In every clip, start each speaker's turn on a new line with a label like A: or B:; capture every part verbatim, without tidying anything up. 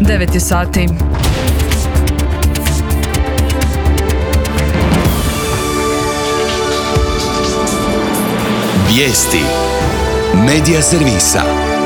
A: devet je sati.
B: Vijesti Medija servisa.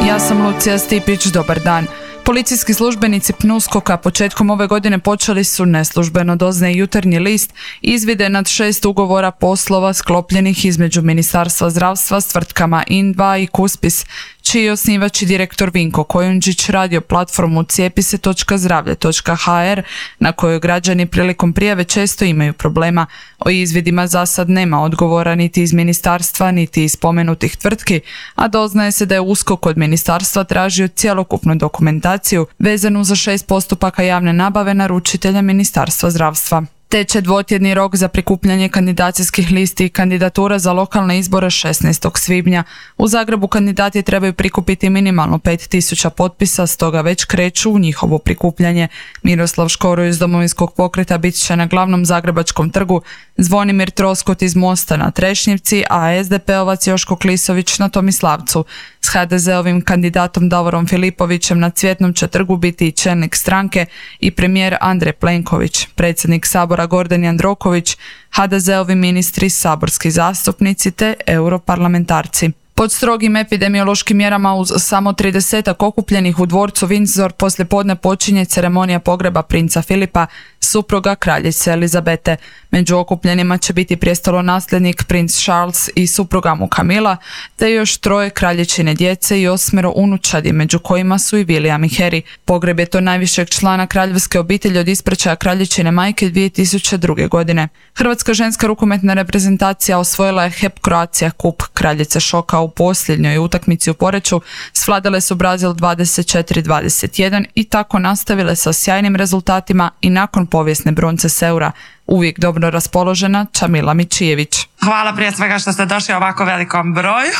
A: Ja sam Lucija Stipić, dobar dan. Policijski službenici PNUSKOK-a početkom ove godine počeli su neslužbeno, doznaje Jutarnji list, izvide nad šest ugovora poslova sklopljenih između Ministarstva zdravstva s tvrtkama in dva i Kuspis, čiji je osnivač i direktor Vinko Kojundžić radio platformu cijepise točka zdravlje točka ha er, na kojoj građani prilikom prijave često imaju problema. O izvidima za sad nema odgovora niti iz ministarstva, niti iz spomenutih tvrtki, a doznaje se da je USKOK od ministarstva tražio cjelokupnu dokumentaciju vezanu za šest postupaka javne nabave naručitelja Ministarstva zdravstva. Teče dvotjedni rok za prikupljanje kandidacijskih listi i kandidatura za lokalne izbore šesnaestog svibnja. U Zagrebu kandidati trebaju prikupiti minimalno pet tisuća potpisa, stoga već kreću u njihovo prikupljanje. Miroslav Škoro iz Domovinskog pokreta bit će na glavnom zagrebačkom trgu, Zvonimir Troskot iz Mosta na Trešnjevci, a es de pe ovac Joško Klisović na Tomislavcu. S ha de zeovim kandidatom Davorom Filipovićem na Cvjetnom će trgu biti i čelnik stranke i premijer Andrej Plenković, predsjednik Sabora Gordan Jandroković, ha de zeovi ministri, saborski zastupnici te europarlamentarci. Pod strogim epidemiološkim mjerama uz samo tridesetak okupljenih u dvorcu Windsor poslijepodne počinje ceremonija pogreba princa Filipa, supruga kraljice Elizabete. Među okupljenima će biti prijestolonasljednik princ Charles i supruga mu Camilla, te još troje kraljičine djece i osmero unučadi, među kojima su i William i Harry. Pogreb je to najvišeg člana kraljevske obitelji od ispraćaja kraljičine majke dvije tisuće druge. godine. Hrvatska ženska rukometna reprezentacija osvojila je H E P Croatia Cup. Kraljice šoka u posljednjoj utakmici u Poreču svladale su Brazil dvadeset četiri dvadeset jedan i tako nastavile sa sjajnim rezultatima i nakon povijesne bronce s Eura. Uvijek dobro raspoložena Čamila Mičijević.
C: Hvala prije svega što ste došli u ovako velikom broju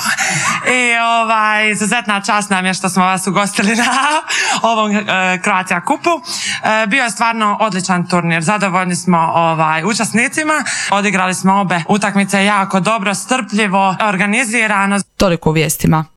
C: i ovaj, izuzetna čast nam je što smo vas ugostili na ovom e, Croatia Cupu. E, bio je stvarno odličan turnir, zadovoljni smo ovaj, učesnicima, odigrali smo obe utakmice jako dobro, strpljivo, organizirano.
A: Toliko u vijestima.